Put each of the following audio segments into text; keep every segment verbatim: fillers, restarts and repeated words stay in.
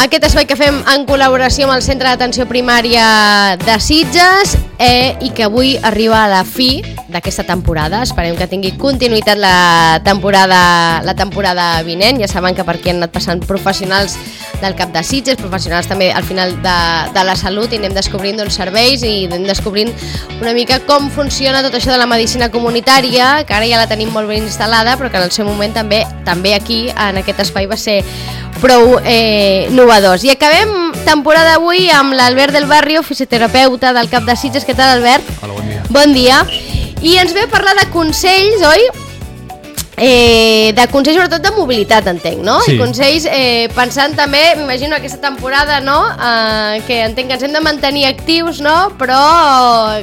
Aquest espai que fem en col·laboració amb el Centre d'Atenció Primària de Sitges eh, i que avui arriba a la fi d'aquesta temporada. Esperem que tingui continuïtat la temporada, la temporada vinent. Ja saben que per aquí han anat passant professionals del cap de Sitges, professionals també al final de, de la salut, i anem descobrint doncs, serveis i anem descobrint una mica com funciona tot això de la medicina comunitària, que ara ja la tenim molt ben instal·lada, però que en el seu moment també també aquí, en aquest espai, va ser prou eh, innovadors. I acabem temporada avui amb l'Albert del Barrio, fisioterapeuta del cap de Sitges. Què tal, Albert? Hola, bon dia. Bon dia. I ens ve a parlar de consells, oi? Eh, de consells sobretot de mobilitat, entenc, no? Sí. I consells eh, pensant també, m'imagino aquesta temporada, no? Eh, que entenc que ens hem de mantenir actius, no? Però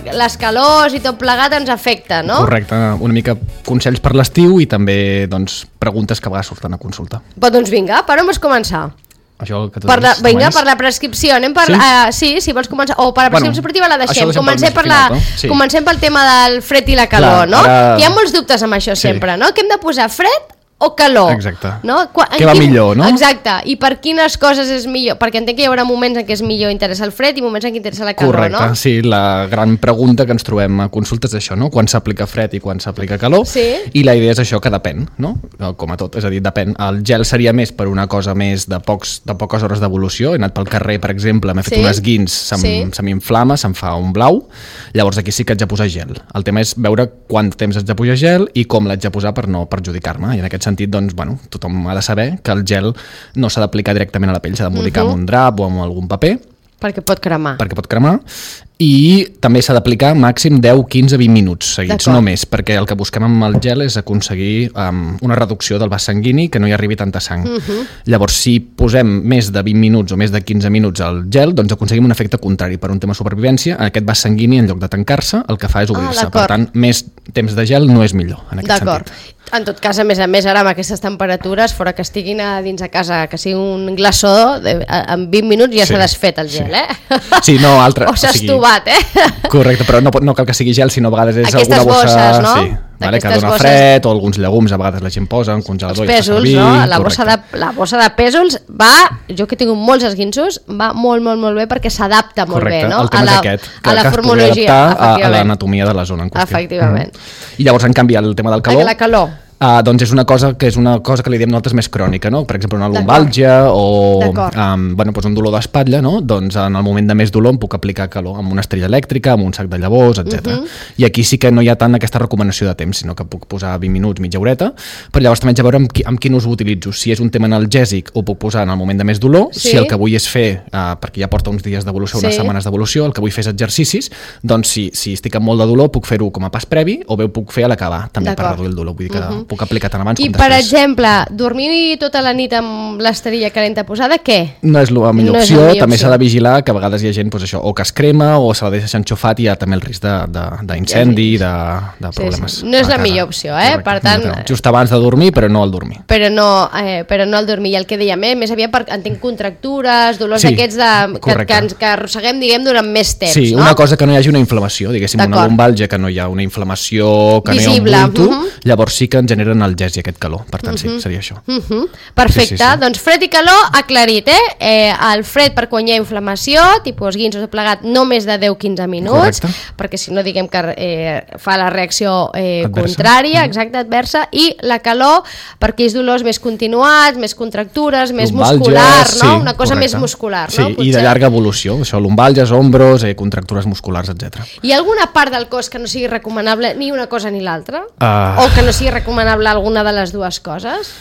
les calors i tot plegat ens afecta, no? Correcte, una mica consells per l'estiu i també doncs, preguntes que a vegades surten a consulta. Però doncs vinga, per on vols començar? Això que tu Per la, deies, vinga, només. per la prescripció. Anem per, Sí? Uh, sí, si vols començar. O per la prescripció Bueno, esportiva la això deixem. deixem per Comencem més per, final, la, no? Sí. comencem pel tema del fred i la calor, Clar, no? ara- Que hi ha molts dubtes amb això Sí. sempre, no? Que hem de posar fred o calor? Exacte. No? Qua- en Què va millor, no? Exacte. I per quines coses és millor? Perquè entenc que hi haurà moments en què és millor interessar el fred i moments en què interessa la calor, Correcte, no? sí, la gran pregunta que ens trobem a consultes és això, no? Quan s'aplica fred i quan s'aplica calor. Sí. I la idea és això, que depèn, no? Com a tot, és a dir, depèn. El gel seria més per una cosa més de, pocs, de poques hores d'evolució. He anat pel carrer, per exemple, m'he fet Sí. un esguins, se'm, Sí. se m'inflama, se'm fa un blau, llavors aquí sí que haig de posar gel. El tema és veure quant temps haig de posar gel i com l'haig de posar per no perjudicar-me. I en aquest sentit, doncs, bueno, tothom ha de saber que el gel no s'ha d'aplicar directament a la pell, s'ha d'embolicar Mhm. amb un drap o amb algun paper, Perquè pot cremar. perquè pot cremar, i també s'ha d'aplicar màxim deu, quinze, vint minuts seguits, D'acord. no més, perquè el que busquem amb el gel és aconseguir um, una reducció del vas sanguini, que no hi arribi tanta sang. Mhm. Llavors, si posem més de vint minuts o més de quinze minuts al gel, doncs aconseguim un efecte contrari. Per un tema de supervivència, aquest vas sanguini, en lloc de tancar-se, el que fa és obrir-se. d'acord. Per tant, més temps de gel no és millor, en aquest D'acord. sentit. En tot cas, a més a més, ara amb aquestes temperatures, fora que estiguin a dins de casa, que sigui un glaçó, de, a, en vint minuts ja Sí, s'ha desfet el gel, sí. eh? Sí, no, altre- O s'ha o sigui- estuvat, eh? Correcte, però no, pot- no cal que sigui gel, sinó a vegades és Aquestes alguna bossa... bosses, no? Sí, vale, que Aquestes dona bosses- fred, o alguns llegums, a vegades la gent posa, un congelador Els i fa pèsols, servir, no? La bossa, correcte. de, la bossa de pèsols va, jo que he tingut molts esguinços, va molt, molt, molt bé perquè s'adapta molt Correcte, bé, no? el tema a la, és aquest, que, a la que es pugui formologia, adaptar a, a efectivament. l'anatomia de la zona en qüestió. Efectivament. Mm. I llavors, en canvi, el tema del calor... La calor. Uh, doncs és una cosa que és una cosa que li diem nosaltres més crònica, no? Per exemple, una D'acord. lumbàlgia o D'acord. um, bueno, doncs un dolor d'espatlla, no? Doncs en el moment de més dolor em puc aplicar calor amb una estrella elèctrica, amb un sac de llavors, etcètera. Mhm. I aquí sí que no hi ha tant aquesta recomanació de temps, sinó que puc posar vint minuts, mitja horeta, però llavors també haig de veure amb, qui, amb quin ús ho utilitzo. Si és un tema analgèsic, ho puc posar en el moment de més dolor. Sí. Si el que vull és fer, uh, perquè ja porta uns dies d'evolució, unes Sí. setmanes d'evolució, el que vull fer és exercicis, doncs si, si estic amb molt de dolor puc fer-ho com a pas previ o bé ho puc fer a l'acabar, també per D'acord. reduir el dolor. Vull dir que Mhm. puc aplicar tant abans I, com per després. exemple, dormir tota la nit amb l'esterilla calenta posada, què? No és la millor No és opció, la millor també opció. s'ha de vigilar que a vegades hi ha gent, doncs això, o que es crema o se la deixa enxufat i hi ha també el risc de- de- d'incendi, de, de, de Sí, problemes. sí. No és a la casa. millor opció, eh? Per tant- No, no. Just abans de dormir, però no al dormir. Però no, eh, però no al dormir. I el que dèiem, eh? Més aviat per, entenc contractures, dolors Sí, d'aquests de, que, correcte. que, ens, que arrosseguem, diguem, durant més temps, Sí, no? una cosa que no hi hagi una inflamació, diguéssim, una D'acord. lumbàlgia, que no hi ha una inflamació, que Visible, no hi ha un bulto, mhm. llavors sí que ens genera analgèsia aquest calor. Per tant, sí, seria això. Mhm. Perfecte, Sí, sí, sí. doncs fred i calor aclarit, eh? eh? El fred per quan hi ha inflamació, tipus guinsos de plegat, no més de deu a quinze minuts, Correcte. perquè si no diguem que eh, fa la reacció eh, Adversa. contrària, exacte, adversa, i la calor per aquells dolors més continuats, més contractures, més Lumbàlgies, muscular, no? sí, Una cosa correcte. més muscular, sí, no? i de llarga evolució, això, lumbàlgies, ombros, eh, contractures musculars, etcètera. Hi ha alguna part del cos que no sigui recomanable ni una cosa ni l'altra? Ah. O que no sigui recomanable alguna de les dues coses?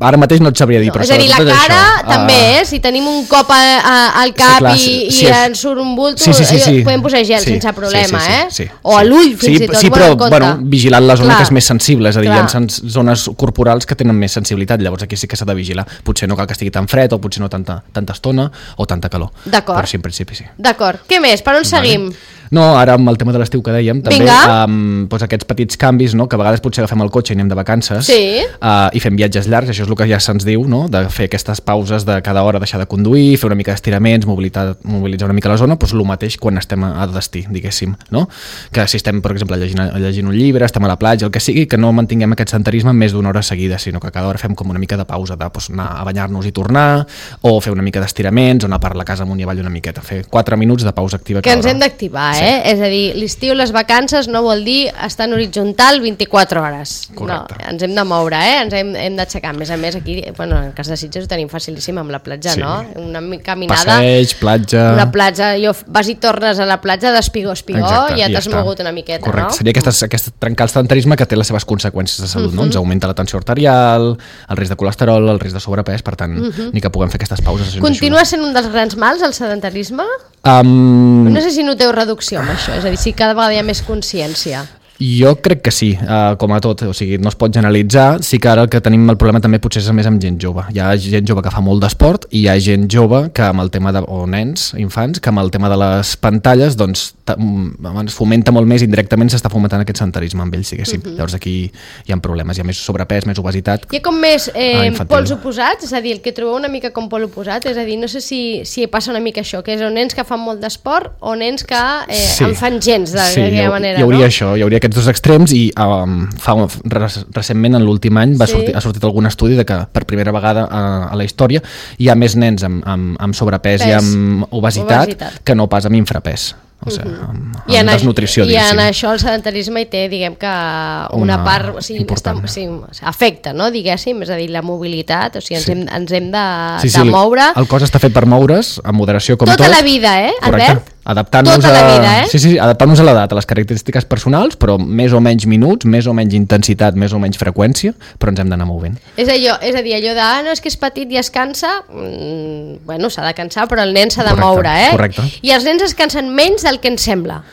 Ara mateix no et sabria dir, No, però és a dir, la sobretot és cara això. també, Ah, eh? Si tenim un cop a, a, al cap clar, i, si- i si és- ens surt un bulto, Sí, sí, sí, sí. eh, podem posar gel Sí, sense problema, sí, sí, eh? sí, sí, o a sí. l'ull, fins sí, i tot, sí, bueno, però en compte. bueno, vigilant la zona Clar. que és més sensible, és a dir, Clar. hi ha sens- zones corporals que tenen més sensibilitat, llavors aquí sí que s'ha de vigilar. Potser no cal que estigui tan fred, o potser no tanta, tanta estona, o tanta calor. D'acord. Però sí, en principi sí. D'acord. Què més? Per on seguim? No, ara amb el tema de l'estiu que dèiem, també um, doncs aquests petits canvis, no? Que a vegades potser agafem el cotxe i anem de vacances sí. uh, i fem viatges llargs, això és el que ja se'ns diu, no? De fer aquestes pauses de cada hora deixar de conduir, fer una mica d'estiraments, mobilitzar una mica la zona, doncs el mateix quan estem a destí, diguéssim, no? Que si estem, per exemple, llegint, llegint un llibre, estem a la platja, el que sigui, que no mantinguem aquest sedentarisme més d'una hora seguida, sinó que cada hora fem com una mica de pausa, de doncs, anar a banyar-nos i tornar, o fer una mica d'estiraments, o anar per la casa amunt i avall una miqueta, fer quatre minuts de pausa activa que ens hem d'activar, sí. eh? És a dir, l'estiu, les vacances no vol dir estar en horitzontal vint-i-quatre hores. Correcte. No, ens hem de moure, eh? Ens hem, hem d'aixecar. A més a més, aquí, bueno, en el cas de Sitges ho tenim facilíssim amb la platja, sí. no? Una caminada... Passeig, platja... Una platja, jo vas i tornes a la platja d'espigó a espigó i ja t'has ja mogut una miqueta, correcte. No? Seria aquestes, aquest trencar el sedentarisme que té les seves conseqüències de salut, uh-huh. no? Ens augmenta la tensió arterial, el risc de colesterol, el risc de sobrepès, per tant, uh-huh. ni que puguem fer aquestes pauses. Continua sent un dels grans mals, el sedentarisme? Um... No sé si noteu reducció amb això, és a dir, si cada vegada hi ha més consciència. Jo crec que sí, uh, com a tot, o sigui, no es pot generalitzar, sí que ara el que tenim el problema també potser és més amb gent jove. Hi ha gent jove que fa molt d'esport i hi ha gent jove que amb el tema de, o nens, infants, que amb el tema de les pantalles doncs es fomenta molt més, indirectament s'està fomentant aquest sedentarisme amb ells, diguéssim. Uh-huh. Llavors aquí hi ha problemes, hi ha més sobrepès, més obesitat. Hi ha com més eh, pols oposats, és a dir, el que trobeu una mica com pol oposat, és a dir, no sé si, si passa una mica això, que és o nens que fan molt d'esport o nens que eh, sí. en fan gens d'aquella sí, manera, hi hauria no? això, hi hauria aquests dos extrems i um, fa, recentment en l'últim any va sí. sortir, ha sortit algun estudi de que per primera vegada a, a la història hi ha més nens amb, amb, amb sobrepès Pes. i amb obesitat, obesitat que no pas amb infrapès. O sigui, uh-huh. amb, amb I en desnutrició, I en això el sedentarisme hi té, diguem que una, una part, o sigui, està, o sigui, afecta, no, diguéssim, és a dir, la mobilitat, o sigui, ens, sí. hem, ens hem de, sí, sí, de moure. El cos està fet per moure's, amb moderació com Tota tot. la vida, eh, correcte. Albert? Adaptant-nos tota a... la vida, eh? Sí, sí, adaptant-nos a l'edat, a les característiques personals, però més o menys minuts, més o menys intensitat, més o menys freqüència, però ens hem d'anar movent. És, allò, és a dir, allò de, ah, no, és que és petit i es cansa, mm, bueno, s'ha de cansar, però el nen s'ha de correcte, moure, eh? Correcte. I els nens es cansen menys del que ens sembla.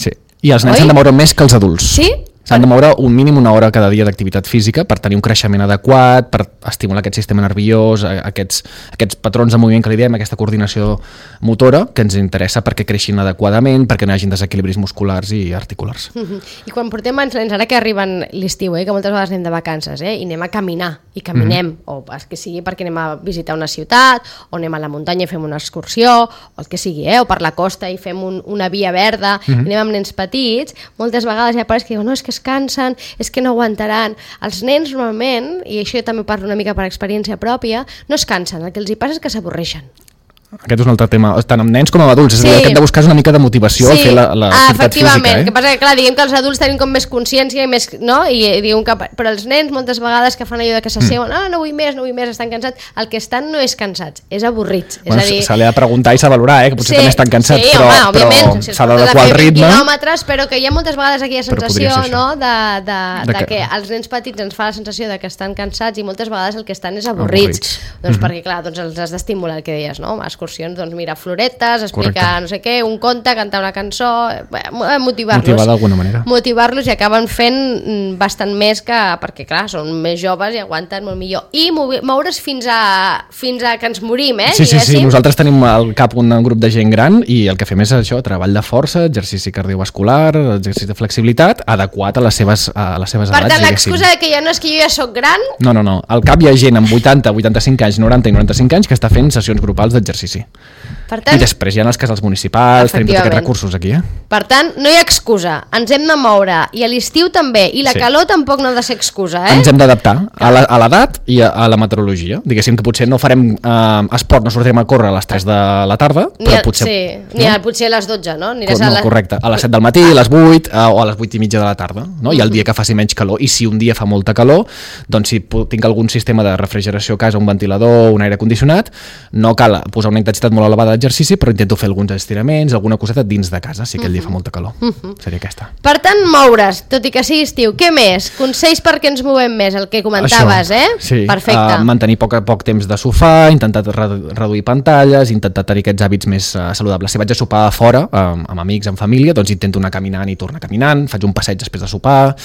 Sí, i els nens s'han de moure més que els adults. Sí? S'han de moure un mínim una hora cada dia d'activitat física per tenir un creixement adequat, per estimular aquest sistema nerviós, aquests, aquests patrons de moviment que li diem, aquesta coordinació motora que ens interessa perquè creixin adequadament, perquè no hi hagi desequilibris musculars i articulars. Uh-huh. I quan portem els nens, ara que arriben l'estiu, eh, que moltes vegades anem de vacances, eh, i anem a caminar, i caminem, uh-huh. o que sigui perquè anem a visitar una ciutat, o anem a la muntanya i fem una excursió, o el que sigui, eh, o per la costa i fem un, una via verda, uh-huh. i anem amb nens petits, moltes vegades hi ha pares que diuen, no, és que es cansen, és que no aguantaran. Els nens normalment, i això jo també parlo una mica per experiència pròpia, no es cansen, el que els hi passa és que s'avorreixen. Aquest és un altre tema, tant amb nens com amb adults, és sí. a dir, que hem de buscar una mica de motivació sí. a fer la, la ah, activitat física. Efectivament, eh? que passa que clar, diguem que els adults tenim com més consciència i més, no? I, diguem que, però els nens moltes vegades que fan allò de que s'asseuen, mm. ah, no vull més, no vull més, estan cansats, el que estan no és cansats, és avorrits. Bueno, és a dir... se li ha de preguntar i s'ha de valorar, eh? Que potser sí, també estan cansats, sí, però, home, però si s'ha d'adequar el ritme. Quilòmetres, però que hi ha moltes vegades aquella sensació, no? De, de, de, de que... que els nens petits ens fa la sensació de que estan cansats i moltes vegades el que estan és avorrits. avorrits. Doncs mm-hmm. perquè clar, doncs els has d'estimular el que deies, no? Excursions, doncs mira, floretes, explicar Correcte. no sé què, un conte, cantar una cançó, motivar-los. Motivar d'alguna manera. Motivar-los i acaben fent bastant més que, perquè clar, són més joves i aguanten molt millor. I moure's fins a, fins a que ens morim, eh? Sí, sí, sí, nosaltres tenim al cap un grup de gent gran i el que fem és això, treball de força, exercici cardiovascular, exercici de flexibilitat, adequat a les seves, a les seves per edats. Per tant, l'excusa que ja no és que jo ja soc gran... No, no, no. Al cap hi ha gent amb vuitanta, vuitanta-cinc anys, noranta i noranta-cinc anys que està fent sessions grupals d'exercici. Per tant, I després hi ha els casals municipals, tenim tots aquests recursos aquí. Eh? Per tant, no hi ha excusa, ens hem de moure, i a l'estiu també, i la sí. calor tampoc no ha de ser excusa. Eh? Ens hem d'adaptar a l'edat i a, a la meteorologia. Diguéssim que potser no farem eh, esport, no sortirem a córrer a les tres de la tarda, ni però a, potser... Sí, no? ni a, potser a les dotze, no? Aniràs no, a la... Correcte, a les set del matí, a les vuit eh, o a les vuit i mitja de la tarda. No? I el dia que faci menys calor, i si un dia fa molta calor, doncs si tinc algun sistema de refrigeració a casa, un ventilador, un aire condicionat, no cal posar una intensitat molt elevada d'exercici, però intento fer alguns estiraments, alguna coseta dins de casa, si aquell uh-huh. dia fa molta calor. Uh-huh. Seria aquesta. Per tant, moure's, tot i que sigui estiu. Què més? Consells perquè ens movem més, el que comentaves, Això, eh? Sí. Perfecte. Uh, mantenir poc a poc temps de sofà, intentar redu- reduir pantalles, intentar tenir aquests hàbits més uh, saludables. Si vaig a sopar a fora, um, amb amics, amb família, doncs intento anar caminant i tornar caminant, faig un passeig després de sopar,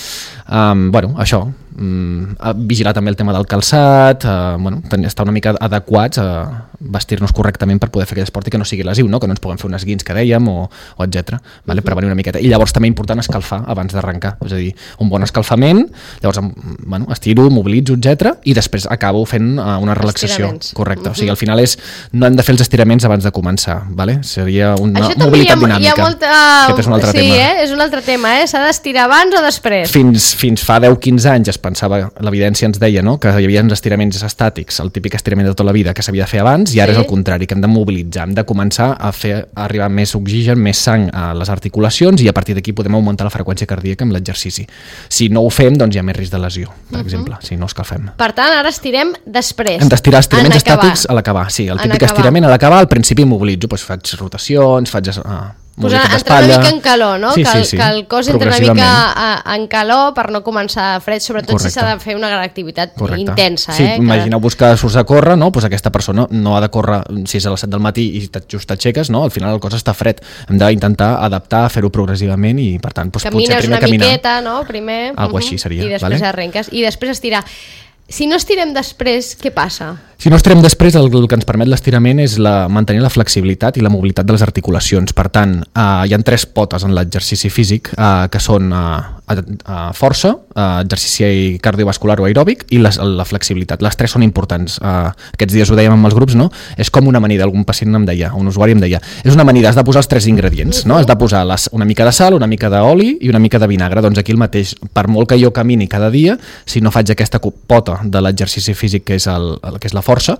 um, bueno, això. mm, vigilar també el tema del calçat, eh, bueno, estar una mica adequats a vestir-nos correctament per poder fer aquell esport i que no sigui lesiu, no? Que no ens puguem fer unes guins que dèiem o, o etcètera. Vale? Uh -huh. Prevenir una miqueta. I llavors també important escalfar abans d'arrencar, és a dir, un bon escalfament, llavors bueno, estiro, mobilitzo, etcètera, i després acabo fent uh, una relaxació correcta. Uh -huh. O sigui, al final és, no hem de fer els estiraments abans de començar, vale? Seria una Això mobilitat hi ha, dinàmica. Hi ha molta... Aquest és un altre sí, tema. Eh? És un altre tema, eh? S'ha d'estirar abans o després? Fins, fins fa deu quinze anys es pensava, l'evidència ens deia, no?, que hi havia uns estiraments estàtics, el típic estirament de tota la vida que s'havia de fer abans, i ara sí. És el contrari, que hem de mobilitzar, hem de començar a fer a arribar més oxigen, més sang a les articulacions, i a partir d'aquí podem augmentar la freqüència cardíaca amb l'exercici. Si no ho fem, doncs hi ha més risc de lesió, per uh -huh. exemple, si no escalfem. Per tant, ara estirem després. Hem d'estirar estiraments estàtics a l'acabar, sí, el típic estirament a l'acabar, al principi mobilitzo, doncs faig rotacions, faig... Uh, Pues entrar una mica en calor, no? Sí, que, sí, el, sí. que el cos entra una mica a, en calor per no començar fred, sobretot Correcte. Si s'ha de fer una gran activitat Correcte. Intensa. Sí, eh? imagineu-vos que surts a córrer, no? Pues aquesta persona no ha de córrer si és a les set del matí i just t'aixeques, no? Al final el cos està fred. Hem d'intentar adaptar, fer-ho progressivament i, per tant, pues, camines potser primer una caminar. miqueta, no? Primer. Algo uh -huh. així seria. I després vale? arrenques. I després estirar. Si no estirem després, què passa? Si no estirem després, el, el que ens permet l'estirament és la, mantenir la flexibilitat i la mobilitat de les articulacions. Per tant, eh, hi ha tres potes en l'exercici físic, eh, que són eh, eh, força, eh, exercici cardiovascular o aeròbic i la, la flexibilitat. Les tres són importants. Eh, aquests dies ho dèiem amb els grups, no? És com una amanida. Algun pacient em deia, un usuari em deia, és una amanida, has de posar els tres ingredients, no? Has de posar les, una mica de sal, una mica d'oli i una mica de vinagre. Doncs aquí el mateix. Per molt que jo camini cada dia, si no faig aquesta pota de l'exercici físic, que és, el, el, que és la força,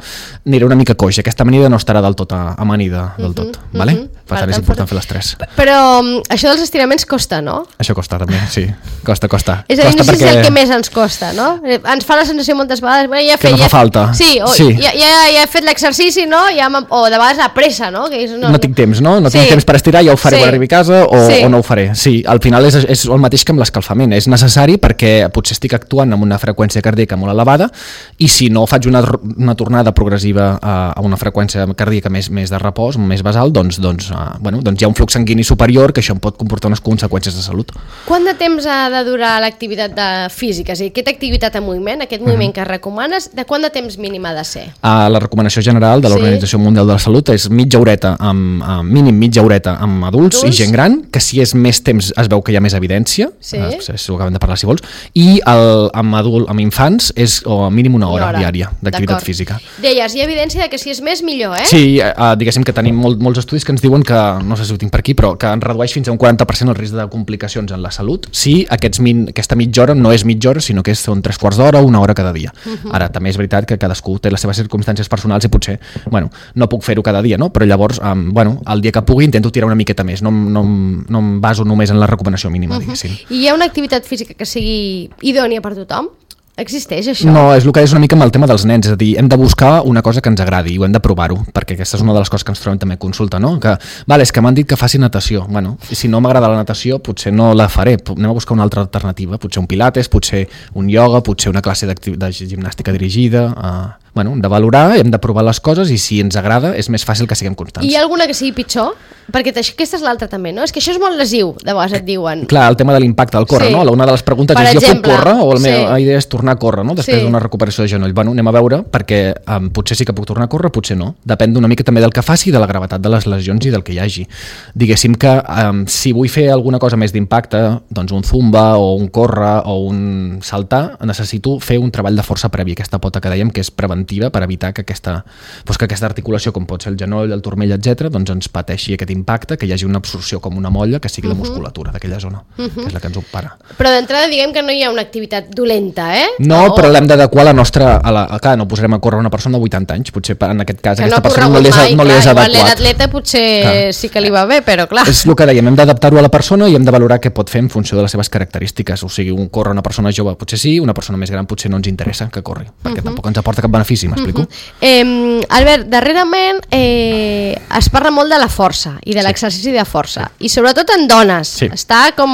aniré una mica coix. Aquesta amanida no estarà del tot amanida del tot. Uh -huh, vale? Uh -huh. Per tant, és important fer les tres. Però um, això dels estiraments costa, no? Això costa també, sí. Costa, costa. És a dir, costa no sé perquè... si és el que més ens costa, no? Ens fa la sensació moltes vegades... Bueno, ja que fet, no fa ja... falta. Sí, o, sí. Ja, ja, ja he fet l'exercici, no? Ja o de vegades la pressa, no? Que és, no, no tinc temps, no? No tinc sí. temps per estirar, ja ho faré sí. quan arribi a casa o, sí. o no ho faré. Sí, al final és, és el mateix que amb l'escalfament. És necessari perquè potser estic actuant amb una freqüència cardíaca molt elevada i si no faig una, una tornada progressiva a, a una freqüència cardíaca més, més de repòs, més basal, doncs, doncs, uh, bueno, doncs hi ha un flux sanguini superior que això em pot comportar unes conseqüències de salut. Quant de temps ha de durar l'activitat de física? És a dir, aquesta activitat en moviment, aquest moviment mm. que recomanes, de quant de temps mínim ha de ser? Uh, la recomanació general de l'Organització sí. Mundial de la Salut és mitja horeta, amb, uh, mínim mitja horeta amb adults, adults i gent gran, que si és més temps es veu que hi ha més evidència, sí. uh, ho acabem de parlar si vols, i el, amb, adult, amb infants és o mínim una hora, una hora. diària d'activitat física. Deies, hi ha evidència de que si és més millor, eh? Sí, uh, diguéssim que tenim molt, molts estudis que ens diuen que, no sé si ho tinc per aquí, però que en redueix fins a un quaranta per cent el risc de complicacions en la salut si aquests min, aquesta mitja hora no és mitja hora, sinó que són tres quarts d'hora o una hora cada dia. Uh -huh. Ara, també és veritat que cadascú té les seves circumstàncies personals i potser, bueno, no puc fer-ho cada dia, no? Però llavors, um, bueno, el dia que pugui intento tirar una miqueta més, no, no, no em baso només en la recomanació mínima, uh -huh. diguéssim. I hi ha una activitat física que sigui idònia per tothom? Existeix això? No, és el que és una mica amb el tema dels nens, és a dir, hem de buscar una cosa que ens agradi i ho hem de provar-ho, perquè aquesta és una de les coses que ens trobem també a consulta, no? Que, vale, és que m'han dit que faci natació. Bueno, si no m'agrada la natació, potser no la faré, anem a buscar una altra alternativa, potser un pilates, potser un ioga, potser una classe de gimnàstica dirigida... Uh... Bueno, hem de valorar, hem de provar les coses i si ens agrada és més fàcil que siguem constants. I hi ha alguna que sigui pitjor? Perquè aquesta és l'altra també, no? És que això és molt lesiu, de vegades et diuen. Clar, el tema de l'impacte del córrer, sí. no? Una de les preguntes per és, exemple, jo puc córrer? O la meva sí. idea és tornar a córrer, no? Després sí. d'una recuperació de genoll. Bueno, anem a veure, perquè um, potser sí que puc tornar a córrer, potser no. Depèn una mica també del que faci i de la gravetat de les lesions i del que hi hagi. Diguéssim que um, si vull fer alguna cosa més d'impacte, doncs un zumba o un córrer o un saltar, necessito fer un treball de força previ, aquesta pota que dèiem que és preventiva per evitar que aquesta, doncs que aquesta articulació, com pot ser el genoll, el turmell, etcètera, doncs ens pateixi aquest impacte, que hi hagi una absorció com una molla que sigui uh -huh. la musculatura d'aquella zona, uh -huh. que és la que ens ho para. Però d'entrada diguem que no hi ha una activitat dolenta, eh? No, o... però l'hem d'adequar la nostra... A la, a, clar, no posarem a córrer una persona de vuitanta anys, potser en aquest cas que aquesta no persona no li és, mai, no li és clar, adequat. L'atleta potser clar. sí que li va bé, però clar... És el que dèiem, hem d'adaptar-ho a la persona i hem de valorar què pot fer en funció de les seves característiques. O sigui, un córrer una persona jove potser sí, una persona més gran potser no ens interessa que corri, perquè uh -huh. tampoc ens aporta cap benefici benefici, m'explico? Uh-huh. eh, Albert, darrerament eh, es parla molt de la força i de l'exercici de força, i sobretot en dones. Sí. Està com,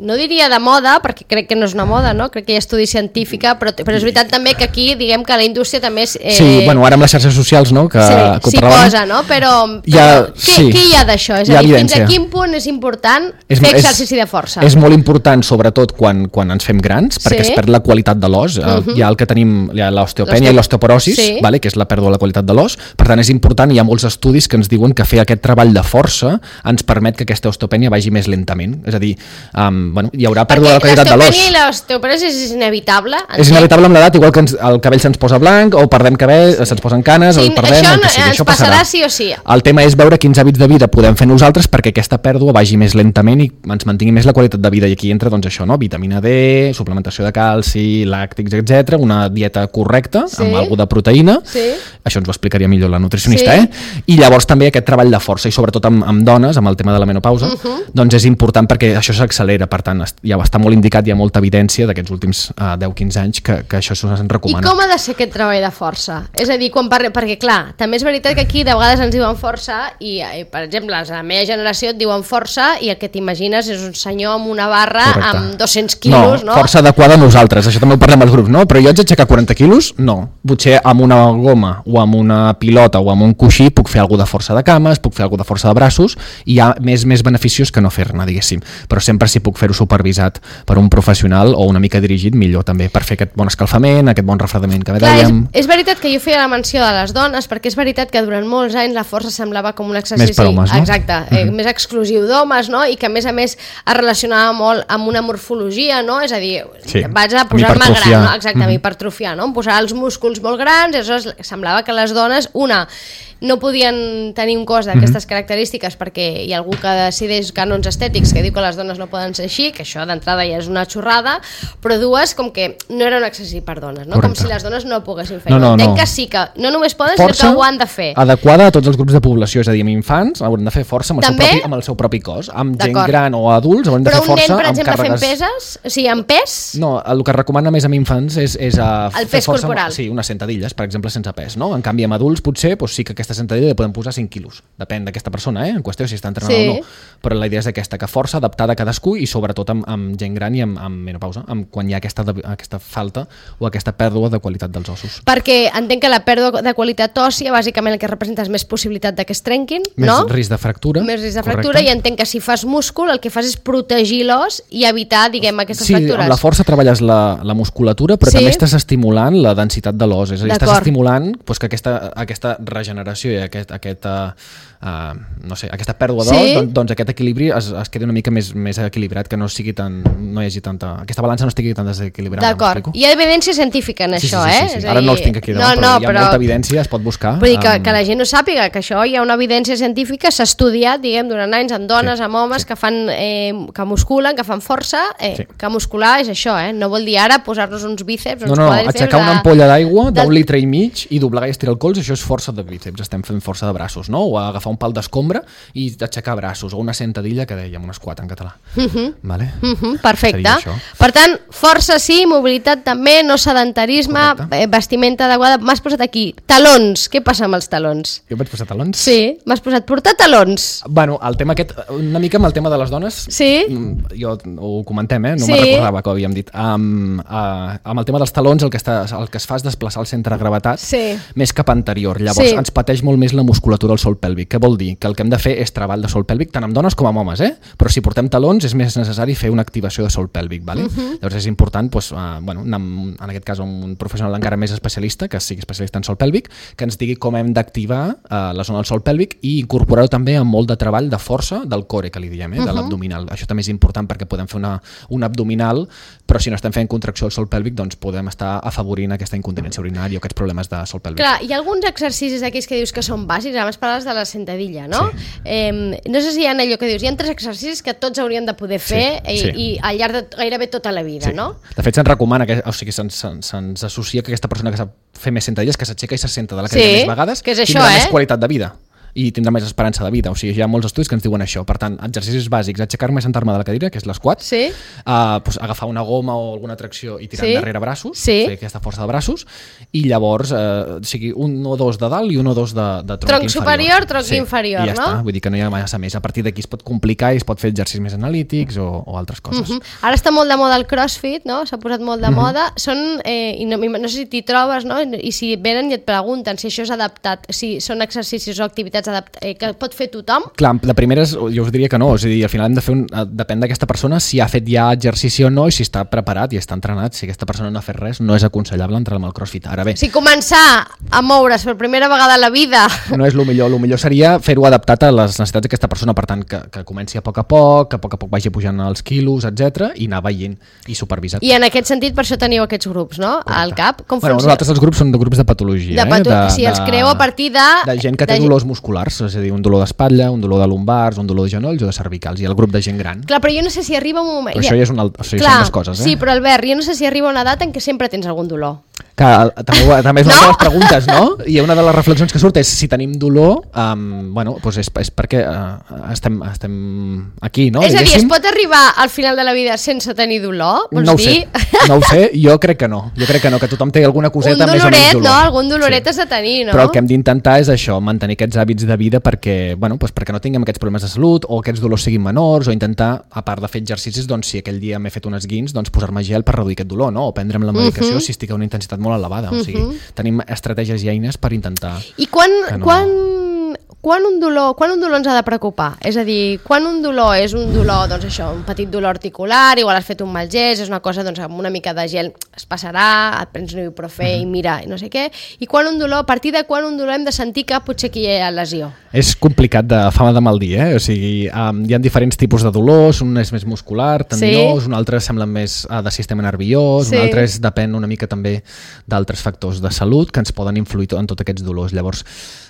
no diria de moda, perquè crec que no és una moda, no? Crec que hi ha estudi científica, però, però és veritat també que aquí, diguem que la indústria també és... Eh... Sí, bueno, ara amb les xarxes socials, no? Que, sí, que s'hi posa, no? Però, però ha, què, sí. què hi ha d'això? És a dir, fins a quin punt és important és, fer exercici de força? És, és molt important, sobretot quan, quan ens fem grans, perquè sí. es perd la qualitat de l'os. Uh-huh. Hi ha el que tenim, hi ha l'osteopènia i l'osteoporosis, sí. vale? Que és la pèrdua de la qualitat de l'os. Per tant, és important, hi ha molts estudis que ens diuen que fer aquest treball de força ens permet que aquesta osteopènia vagi més lentament. És a dir, um, bueno, hi haurà pèrdua de la qualitat de l'os. L'osteopènia i l'osteoporosis és inevitable? És inevitable amb l'edat, igual que ens, el cabell se'ns posa blanc, o perdem cabell, sí. se'ns posen canes, sí, o el perdem, això, el que sigui. Ens això passarà, passarà sí o sí. El tema és veure quins hàbits de vida podem fer nosaltres perquè aquesta pèrdua vagi més lentament i ens mantingui més la qualitat de vida. I aquí entra, doncs, això, no? Vitamina D, suplementació de calci, làctics, etcètera, una dieta correcta, sí. amb alguna de proteïna, sí. això ens ho explicaria millor la nutricionista, sí. eh? I llavors també aquest treball de força, i sobretot amb, amb dones, amb el tema de la menopausa, uh-huh. doncs és important perquè això s'accelera, per tant, ja està molt indicat, hi ha molta evidència d'aquests últims uh, deu quinze anys que, que això se'ns recomana. I com ha de ser aquest treball de força? És a dir, quan parle... perquè clar, també és veritat que aquí de vegades ens diuen força i, i per exemple, a la meva generació et diuen força i el que t'imagines és un senyor amb una barra correcte. Amb dos-cents quilos, no? No, força adequada a nosaltres, això també ho parlem als grups, no? Però jo haig d'aixecar quaranta quilos? No. Potser amb una goma o amb una pilota o amb un coixí puc fer alguna de força de cames, puc fer alguna de força de braços i hi ha més més beneficiós que no fer-ne, diguéssim. Però sempre si puc fer-ho supervisat per un professional o una mica dirigit, millor també, per fer aquest bon escalfament, aquest bon refredament que clar, dèiem. És, és veritat que jo feia la menció de les dones, perquè és veritat que durant molts anys la força semblava com un exercici... Més per homes, no? Exacte, mm-hmm. eh, més exclusiu d'homes, no? I que a més a més es relacionava molt amb una morfologia, no? És a dir, sí. vaig a posar-me gran, no? Exacte, mm-hmm. hipertrofiar, no? Em posar els músculs molt grans, i aleshores semblava que les dones, una, no podien tenir un cos d'aquestes mm-hmm. característiques perquè hi ha algú que decideix canons estètics que diu que les dones no poden ser així, que això d'entrada ja és una xorrada, però dues, com que no era un exercici per dones, no? Com si les dones no poguessin fer. No, no, Entenc no. que sí que no només poden, força sinó que ho han de fer. Adequada a tots els grups de població, és a dir, amb infants hauran de fer força amb el, també? Seu, propi, amb el seu propi cos, amb gent gran o adults hauran de però fer força un nen, per exemple, càrregues... fent peses? O sigui, amb pes? No, el que recomana més amb infants és, és a el fer pes força corporal. Amb, sí, unes sentadilles, per exemple, sense pes, no? En canvi, amb adults potser doncs sí que aquesta sentadilla li podem posar cinc quilos, depèn d'aquesta persona, eh? En qüestió si està entrenada sí. o no, però la idea és aquesta, que força adaptada a cadascú i sobretot amb, amb gent gran i amb, amb menopausa, amb quan hi ha aquesta, aquesta falta o aquesta pèrdua de qualitat dels ossos. Perquè entenc que la pèrdua de qualitat òssia bàsicament el que representa és més possibilitat de que es trenquin, més no? risc de fractura. Més risc de fractura, correcte. I entenc que si fas múscul el que fas és protegir l'os i evitar, diguem, aquestes sí, fractures. Sí, amb la força treballes la, la musculatura, però sí? també estàs estimulant la densitat de l'os, és a dir, estàs estimulant doncs, que aquesta, aquesta regeneració i aquest, aquest uh, uh, no sé, aquesta pèrdua d'os, sí? doncs, doncs aquest equilibri es, es quedi una mica més, més equilibrat, que no sigui tan, no hi hagi tanta, aquesta balança no estigui tan desequilibrada. D'acord, hi ha evidència científica en sí, això, sí, sí, eh? sí, sí. Ara no els tinc aquí davant, no, no, però hi ha però... molta evidència, es pot buscar. Vull dir que, um... que la gent no sàpiga que això hi ha una evidència científica, s'ha estudiat, diguem, durant anys amb dones, sí, amb homes sí. que fan, eh, que musculen, que fan força, eh, sí. que muscular és això, eh? No vol dir ara posar-nos uns bíceps, no, uns no, quadríceps... aixecar una ampolla d'aigua d'un del... litre i mig i doblegar i estirar el colze, això és força de bíceps, estem fent força de braços, no? O agafar un pal d'escombra i aixecar braços, o una sentadilla que dèiem, un squat en català. Uh-huh. Vale? Uh-huh. Perfecte. Per tant, força sí, mobilitat també, no sedentarisme, eh, vestimenta adequada. M'has posat aquí talons. Què passa amb els talons? Jo vaig posar talons? Sí, m'has posat portar talons. Bueno, el tema aquest, una mica amb el tema de les dones, sí? Jo ho comentem, eh? No sí. me'n recordava que ho havíem dit. Um, uh, amb el tema dels talons el que, està, el que es fa és desplaçar el centre de gravetat sí. més cap anterior. Llavors sí. ens pateix molt més la musculatura al sòl pèlvic. Què vol dir? Que el que hem de fer és treball de sòl pèlvic tant amb dones com amb homes, eh? Però si portem talons és més necessari fer una activació de sòl pèlvic, vale? Uh-huh. Llavors és important, doncs, uh, bueno, anar, en aquest cas un professional encara més especialista, que sigui especialista en sòl pèlvic, que ens digui com hem d'activar uh, la zona del sòl pèlvic i incorporar-ho també amb molt de treball de força del core, que li diem, eh? Uh-huh. De l'abdominal. Això també és important perquè podem fer una, un abdominal, però si no estem fent contracció del sòl pèlvic, doncs podem estar afavorint aquesta incontinència urinària o aquests problemes de sòl pèlvic. Clar, hi ha alguns exercicis aquells que dius que són bàsics, abans parles de la sentadilla, no? Sí. Eh, no sé si hi ha allò que dius, hi ha tres exercicis que tots hauríem de poder fer sí, i, sí. i al llarg de gairebé tota la vida, sí. no? De fet, se'ns recomana, que, o sigui, se'ns, se'ns associa que aquesta persona que sap fer més sentadilles, que s'aixeca i se senta de la cadira sí, més vegades, que és això, tindrà eh? més qualitat de vida. i tindrà més esperança de vida. O sigui, hi ha molts estudis que ens diuen això. Per tant, exercicis bàsics, aixecar-me i sentar-me de la cadira, que és l'esquat, sí. uh, pues, agafar una goma o alguna tracció i tirar sí. endarrere braços, sí. fer aquesta força de braços, i llavors, uh, o sigui, un o dos de dalt i un o dos de, de tronc, tronc inferior. superior, tronc sí. inferior, I ja no? està, vull dir que no hi ha massa més. A partir d'aquí es pot complicar i es pot fer exercicis més analítics o, o altres coses. Uh -huh. Ara està molt de moda el crossfit, no? S'ha posat molt de uh -huh. moda. Són, eh, i no, no sé si t'hi trobes, no? I si venen i et pregunten si això és adaptat, si són exercicis o activitats adaptat, eh, que pot fer tothom. Clar, la primera és, jo us diria que no, és a dir, al final hem de fer un, depèn d'aquesta persona si ha fet ja exercici o no i si està preparat i està entrenat. Si aquesta persona no ha fet res, no és aconsellable entrar amb el crossfit. Ara bé, si començar a moure's per primera vegada a la vida no és el millor, el millor seria fer-ho adaptat a les necessitats d'aquesta persona, per tant que, que comenci a poc a poc, que a poc a poc vagi pujant els quilos, etcètera, i anar veient i supervisat. I en aquest sentit per això teniu aquests grups, no? Correcte. Al cap, com bueno, funciona? nosaltres els grups són de grups de patologia, de pato eh? De, si els de, creu a partir de... De gent que té de... dolors musculars, és a dir, un dolor d'espatlla, un dolor de lumbars, un dolor de genolls o de cervicals, i el grup de gent gran. Clar, però jo no sé si arriba un moment... Però això ja és una, això Clar, són les coses, eh? Sí, però Albert, jo no sé si arriba una edat en què sempre tens algun dolor. Que, també, també és una no? de les preguntes, no? I una de les reflexions que surt és si tenim dolor, um, bueno, doncs és, és perquè uh, estem, estem aquí, no? És a dir, es pot arribar al final de la vida sense tenir dolor? Vols no ho dir? sé, no ho sé, jo crec que no. Jo crec que no, que tothom té alguna coseta doloret, més o menys dolor. No? Algun doloret sí. has de tenir, no? Però el que hem d'intentar és això, mantenir aquests hàbits de vida perquè, bueno, doncs perquè no tinguem aquests problemes de salut o aquests dolors siguin menors, o intentar, a part de fer exercicis, doncs si aquell dia m'he fet un esguins, doncs posar-me gel per reduir aquest dolor, no? O prendre'm la medicació uh -huh. si estic a una intensitat molt elevada. Uh -huh. O sigui, tenim estratègies i eines per intentar... I quan, no... quan, quan, un dolor, quan un dolor ens ha de preocupar? És a dir, quan un dolor és un dolor, doncs això, un petit dolor articular, igual has fet un mal gest, és una cosa, doncs amb una mica de gel es passarà, et prens un ibuprofè uh -huh. i mira, i no sé què, i quan un dolor, a partir de quan un dolor hem de sentir que potser aquí hi ha lesió? És complicat de fama de mal dir, eh? O sigui, um, hi ha diferents tipus de dolors, un és més muscular, tendinós, sí. un altre sembla més uh, de sistema nerviós, sí. un altre és, depèn una mica també d'altres factors de salut que ens poden influir en tots aquests dolors. Llavors,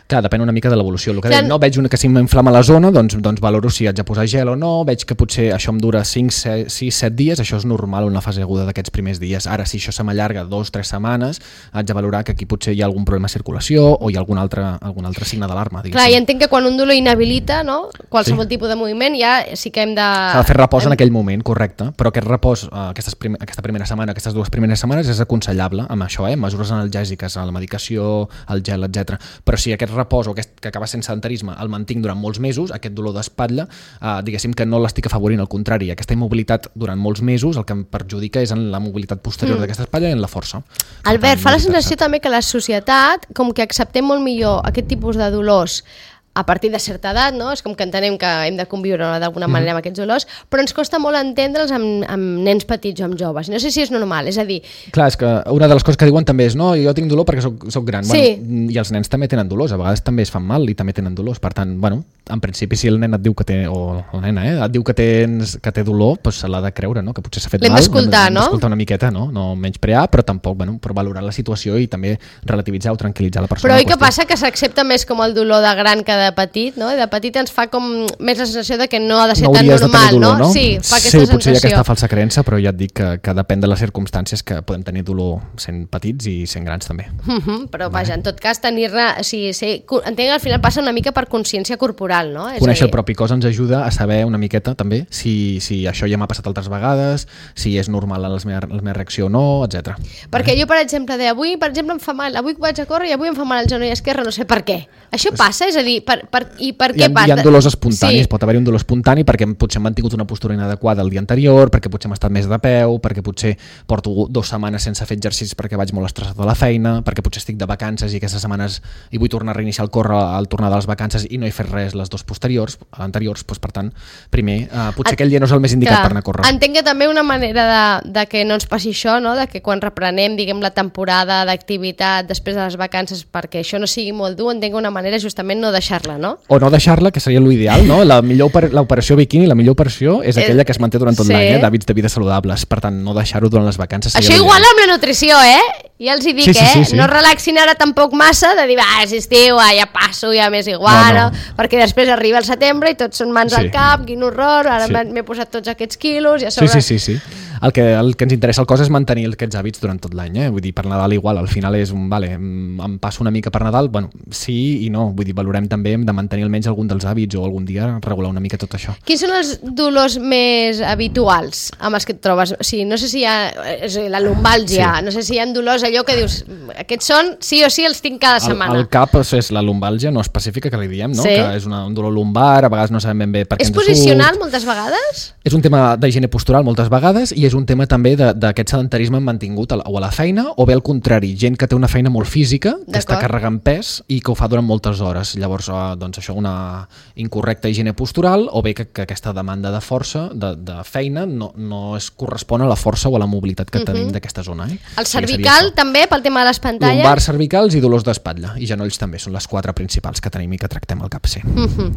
clar, depèn una mica de l'evolució. El que deia, no veig una que si m'inflama la zona, doncs, doncs valoro si haig de posar gel o no, veig que potser això em dura cinc, sis, set dies, això és normal en la fase aguda d'aquests primers dies. Ara, si això se m'allarga dos, tres setmanes, haig de valorar que aquí potser hi ha algun problema de circulació o hi ha algun altre, algun altre signe d'alarma. Clar, i entenc que quan un dolor inhabilita, no? Qualsevol sí. tipus de moviment, ja sí que hem de... S'ha de fer repòs en aquell moment, correcte, però aquest repòs, aquestes prim aquesta primera setmana, aquestes dues primeres setmanes és aconsellable amb això, eh? Mesures analgèsiques, la medicació, el gel, etcètera. Però si aquest repòs o aquest que acaba sent sedentarisme el mantinc durant molts mesos, aquest dolor d'espatlla, eh, diguéssim que no l'estic afavorint, al contrari, aquesta immobilitat durant molts mesos el que em perjudica és en la mobilitat posterior mm. d'aquesta espatlla i en la força. Albert, fa la sensació també que la societat, com que acceptem molt millor aquest tipus de dolors a partir de certa edat, no? És com que entenem que hem de conviure d'alguna manera amb aquests dolors, però ens costa molt entendre'ls amb, amb nens petits o amb joves. No sé si és normal, és a dir... Clar, és que una de les coses que diuen també és no, jo tinc dolor perquè soc, soc gran. Sí. Bueno, i els nens també tenen dolors, a vegades també es fan mal i també tenen dolors. Per tant, bueno, en principi si el nen et diu que té, o la nena, eh, et diu que, tens, que té dolor, doncs se l'ha de creure, no? Que potser s'ha fet mal. L'hem d'escoltar, no? L'hem d'escoltar una miqueta, no? No menysprear, però tampoc, bueno, per valorar la situació i també relativitzar o tranquil·litzar la persona. Però oi que passa que s'accepta més com el dolor de gran que de petit, no? De petit ens fa com més la sensació de que no ha de ser no tan normal, dolor, no? no? Sí, fa aquesta sí, sensació. Potser hi ha aquesta falsa creença, però ja et dic que, que depèn de les circumstàncies que podem tenir dolor sent petits i sent grans també. Uh -huh, però vaja, en tot cas tenir-ne, o sigui, sí, entenc que al final passa una mica per consciència corporal, no? És Conèixer el propi cos ens ajuda a saber una miqueta també si, si això ja m'ha passat altres vegades, si és normal en la meva, la meva reacció o no, etcètera. Perquè jo, per exemple, de avui, per exemple, em fa mal, avui vaig a córrer i avui em fa mal el genoll esquerre, no sé per què. Això passa? És a dir, per, per, i per què hi ha, passa? Hi ha dolors espontanis, sí. Pot haver-hi un dolor espontani perquè potser m'han tingut una postura inadequada el dia anterior, perquè potser m'he estat més de peu, perquè potser porto dues setmanes sense fer exercicis perquè vaig molt estressat a la feina, perquè potser estic de vacances i aquestes setmanes i vull tornar a reiniciar el córrer al tornar de les vacances i no he fet res les dues posteriors, anteriors, doncs, per tant, primer, eh, potser aquell dia no és el més indicat Clar, per anar a córrer. Entenc que també una manera de, de que no ens passi això, no? De que quan reprenem, diguem, la temporada d'activitat després de les vacances, perquè això no sigui molt dur, entenc que una manera justament no deixar-la, no? O no deixar-la, que seria l'ideal, no? La millor l'operació biquini, la millor operació és aquella que es manté durant tot sí. l'any, eh? D'hàbits de vida saludables. Per tant, no deixar-ho durant les vacances. Això igual amb la nutrició, eh? Ja els hi dic, sí, sí, sí, eh? Sí. No relaxin ara tampoc massa de dir, va, és estiu, ah, ja passo, ja m'és igual, no, no. perquè després arriba el setembre i tots són mans sí. al cap, quin horror, ara sí. m'he posat tots aquests quilos, ja sobre... Sí, sí, sí, sí. el que, el que ens interessa al cos és mantenir aquests hàbits durant tot l'any, eh? Vull dir, per Nadal igual, al final és un, vale, em passo una mica per Nadal, bueno, sí i no, vull dir, valorem també de mantenir almenys algun dels hàbits o algun dia regular una mica tot això. Quins són els dolors més habituals amb els que et trobes? O sigui, no sé si hi ha la lumbàlgia, sí. No sé si hi ha dolors allò que dius, aquests són, sí o sí els tinc cada setmana. El, el cap és la lumbàlgia no específica que li diem, no? Sí. Que és una, un dolor lumbar, a vegades no sabem ben bé per què és ens posicional surt. Moltes vegades? És un tema d'higiene postural moltes vegades i és un tema també d'aquest sedentarisme mantingut o a la feina o bé al contrari, gent que té una feina molt física, que està carregant pes i que ho fa durant moltes hores. Llavors, doncs això, una incorrecta higiene postural o bé que, que aquesta demanda de força, de, de feina, no, no es correspon a la força o a la mobilitat que uh-huh. tenim d'aquesta zona. Eh? El cervical també, pel tema de les pantalles? Lumbars, cervicals i dolors d'espatlla. I genolls també, són les quatre principals que tenim i que tractem al cap, sí. Uh-huh.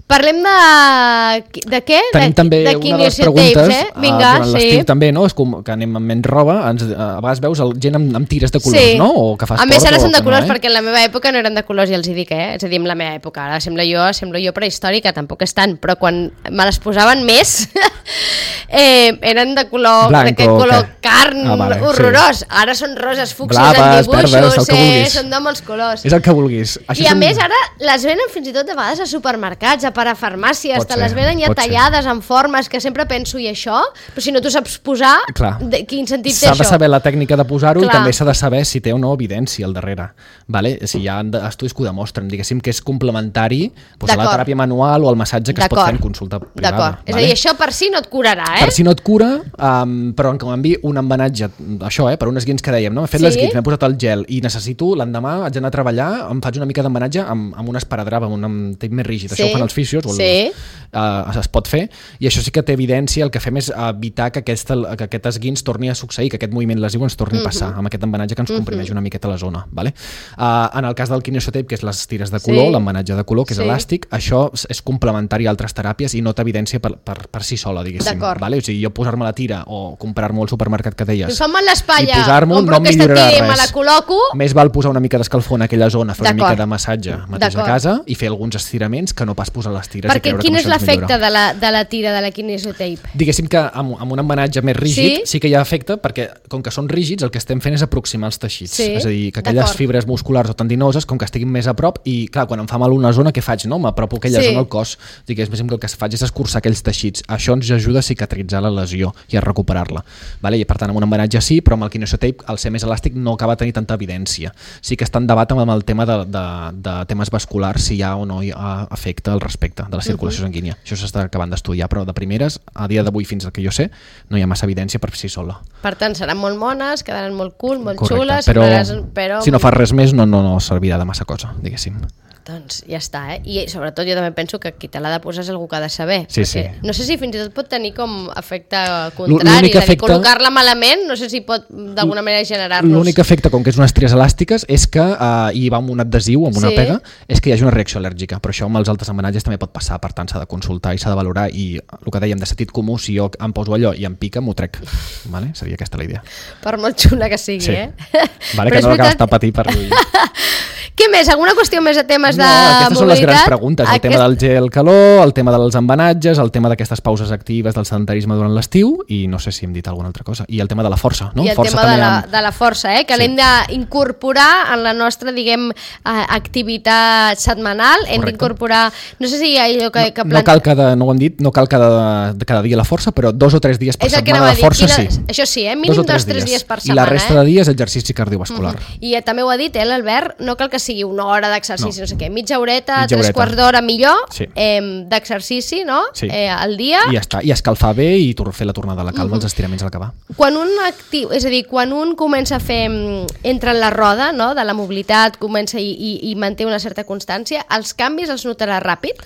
Parlem de... de què? Tenim de, també de una de les preguntes, tapes, eh? Vinga, uh, durant sí. l'estiu també, no? És com que anem amb menys roba, ens, a vegades veus el, gent amb, amb tires de colors, sí. no? O que fa a esport, més ara són de colors, no, eh? perquè en la meva època no eren de colors, ja els hi dic, eh? És a dir, en la meva època, ara sembla jo, sembla jo prehistòrica, tampoc és tant, però quan me les posaven més, eh, eren de color, d'aquest color que... carn, ah, vale, horrorós. Sí. Ara són roses fúcsies en dibuixos, verdes, eh? Són de molts colors. És el que vulguis. Això I a són... més ara les venen fins i tot de vegades a supermercats, a parafarmàcies, te les venen ja tallades ser. En formes que sempre penso, i això? Però si no tu saps posar, de, quin sentit té això? S'ha de saber la tècnica de posar-ho i també s'ha de saber si té o no evidència al darrere. Vale? Si hi ha estudis que ho demostren, diguéssim que és complementari doncs, a la teràpia manual o al massatge que es pot fer en consulta privada. Vale? És a dir, això per si no et curarà, eh? Per si no et cura, um, però en canvi un embenatge, això, eh, per un esguins que dèiem, no? He fet sí? l'esguins, m'he posat el gel i necessito, l'endemà haig d'anar a treballar, em faig una mica d'embenatge amb, amb un esparadrap, amb un tape més rígid. Sí? Això ho fan els fisios, o sí. el, uh, es pot fer, i això sí que té evidència, el que fem és evitar que, aquesta, que aquest esguins torni a succeir, que aquest moviment lesiu ens torni uh-huh. a passar, amb aquest embenatge que ens comprimeix uh-huh. una miqueta la zona. Vale? Uh, en el cas del kinesiotape, que és les tires de color, sí. l'embenatge de color, que és sí. elàstic, això és complementari a altres teràpies i no té evidència per, per, per si sola, diguéssim. Vale? O sigui, jo posar-me la tira o comprar-me al supermercat que deies Fa-me l'espatlla, i posar-m'ho no em millorarà res. Me la col·loco. Més val posar una mica d'escalfor en aquella zona, fer una mica de massatge mateix a casa i fer alguns estiraments que no pas posar les tires. Perquè quin és l'efecte de la, de la tira de la kinesiotape? Diguéssim que amb, amb un embenatge més rígid sí? sí que hi ha efecte, perquè com que són rígids el que estem fent és aproximar els teixits, sí? És a dir, que aquelles fibres musculars o tendinoses com que estiguin més a prop i clar, quan em fa mal una zona què faig? No? M'apropo aquella sí. zona al cos, diguéssim que el que faig és escurçar aquells teixits, això ens ajuda a cicatritzar la lesió i a recuperar-la, vale? I per tant amb un embenatge sí, però amb el kinesiotape al ser més elàstic no acaba de tenir tanta evidència, sí que està en debat amb el tema de, de, de temes vasculars si hi ha o no hi ha efecte al respecte de la circulació uh-huh. sanguínia, això s'està acabant d'estudiar, però de primeres, a dia d'avui fins al que jo sé, no hi ha massa evidència per si sola. Per tant, seran molt mones, quedaran molt cool, molt Correcte, xules, però, però si no fas res més no, no, no servirà de massa cosa, diguéssim. Doncs ja està, eh? I sobretot jo també penso que qui te l'ha de posar és algú que ha de saber. Sí, sí. No sé si fins i tot pot tenir com efecte contrari, és a dir, efecte... col·locar-la malament, no sé si pot d'alguna manera generar-nos... L'únic efecte, com que és unes tries elàstiques, és que uh, hi va amb un adhesiu, amb una sí. pega, és que hi hagi una reacció al·lèrgica, però això amb els altres embenatges també pot passar, per tant s'ha de consultar i s'ha de valorar, i el que dèiem de sentit comú, si jo em poso allò i em pica, m'ho trec. Vale? Seria aquesta la idea. Per molt xula que sigui, sí. eh? Vale, que no l'acabes de patir per lluir. Què més? Alguna qüestió més de temes de no, aquestes mobilitat? Són les grans preguntes, el Aquest... tema del gel calor, el tema dels embenatges, el tema d'aquestes pauses actives del sedentarisme durant l'estiu i no sé si hem dit alguna altra cosa. I el tema de la força, no? I el força tema de la, amb... de la força, eh? Que sí. l'hem d'incorporar en la nostra, diguem, activitat setmanal. Hem d'incorporar, no sé si hi ha allò que... que no, no cal cada, no ho hem dit, no cal cada, cada dia la força, però dos o tres dies per setmana la força Quina... sí. Això sí, eh? Mínim dos o tres, dos, tres dies. dies per setmana. I la resta eh? de dies exercici cardiovascular. Mm-hmm. I també ho ha dit, eh, l'Albert, no cal que sigui una hora d'exercici, no, no sé què, mitja horeta, mitja tres horeta. quarts d'hora millor, sí. eh, d'exercici, no? Sí. Eh, al dia. I ja està, i escalfar bé i fer la tornada a la calma, mm-hmm. els estiraments a l'acabar. Quan un actiu, és a dir, quan un comença a fer, entra en la roda, no?, de la mobilitat, comença i, i, i manté una certa constància, els canvis els notarà ràpid?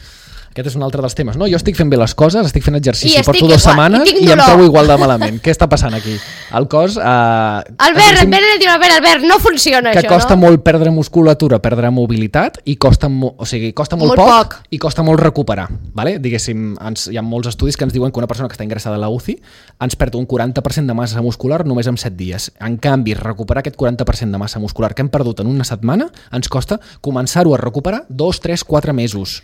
Aquest és un altre dels temes. No, jo estic fent bé les coses, estic fent exercici, estic porto dues igual, setmanes i, i em trobo igual de malament. Què està passant aquí? El cos... Eh, Albert, em ve de dir, Albert, Albert, no funciona que això, no? Que costa no? molt perdre musculatura, perdre mobilitat i costa, mo o sigui, costa molt, molt poc, poc i costa molt recuperar. Vale? Diguéssim, ens, hi ha molts estudis que ens diuen que una persona que està ingressada a la U C I ens perd un quaranta per cent de massa muscular només en set dies. En canvi, recuperar aquest quaranta per cent de massa muscular que hem perdut en una setmana ens costa començar-ho a recuperar dos, tres, quatre mesos.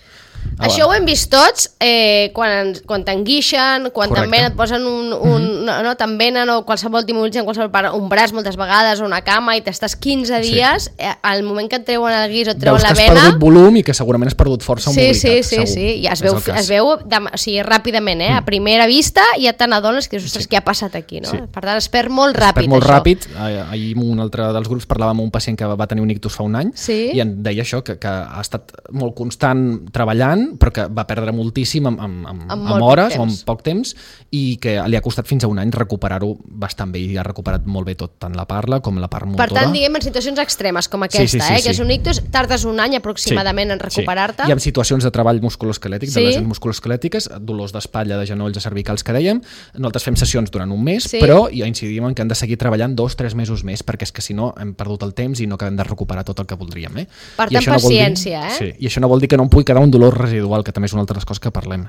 Això ho hem vist tots, eh, quan, quan t'enguixen, quan també et posen un, un, mm-hmm. no, t'envenen o qualsevol t'immobilitzen, qualsevol part, un braç moltes vegades o una cama i t'estàs quinze dies, sí. eh, al moment que et treuen el guix o et treuen la vena... Veus que has perdut volum i que segurament has perdut força o sí, mobilitat. Sí, sí, sí, i es veu, es veu de, o sigui, ràpidament, eh? Mm. A primera vista ja te n'adones que, ostres, sí. què ha passat aquí, no? Sí. Per tant, es perd molt ràpid, es perd molt això. ràpid. Ahir en un altre dels grups parlàvem amb un pacient que va tenir un ictus fa un any sí. i en deia això, que, que ha estat molt constant treballant, però que va perdre moltíssim amb, amb, amb, amb, amb hores o amb poc temps i que li ha costat fins a un any recuperar-ho bastant bé i ha recuperat molt bé tot, tant la parla com la part motora. Per tant, diguem, en situacions extremes com aquesta, sí, sí, sí, eh, que sí. és un ictus, tardes un any aproximadament sí, en recuperar-te. Sí. I en situacions de treball musculoesquelètic, sí. de lesions musculoesquelètiques, dolors d'espatlla, de genolls, de cervicals que dèiem, nosaltres fem sessions durant un mes, sí. però ja incidim en que hem de seguir treballant dos, tres mesos més, perquè és que si no hem perdut el temps i no acabem de recuperar tot el que voldríem. Eh? Per tant, paciència, no dir, eh? Sí, i això no vol dir que no em pugui quedar un dolor residual, que també és una altra de les coses que parlem.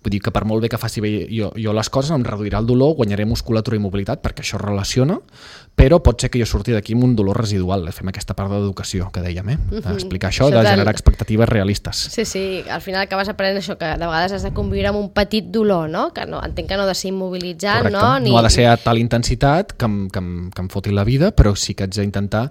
Vull dir que per molt bé que faci bé jo, jo les coses, em reduirà el dolor, guanyaré musculatura i mobilitat, perquè això relaciona, però pot ser que jo surti d'aquí amb un dolor residual. Fem aquesta part d'educació que dèiem, eh? D'explicar això, això de generar del... expectatives realistes. Sí, sí, al final acabes aprenent això, que de vegades has de conviure amb un petit dolor, no? Que no, entenc que no ha de ser immobilitzant, correcte. No? Ni... No ha de ser a tal intensitat que em, que, em, que em foti la vida, però sí que haig d'intentar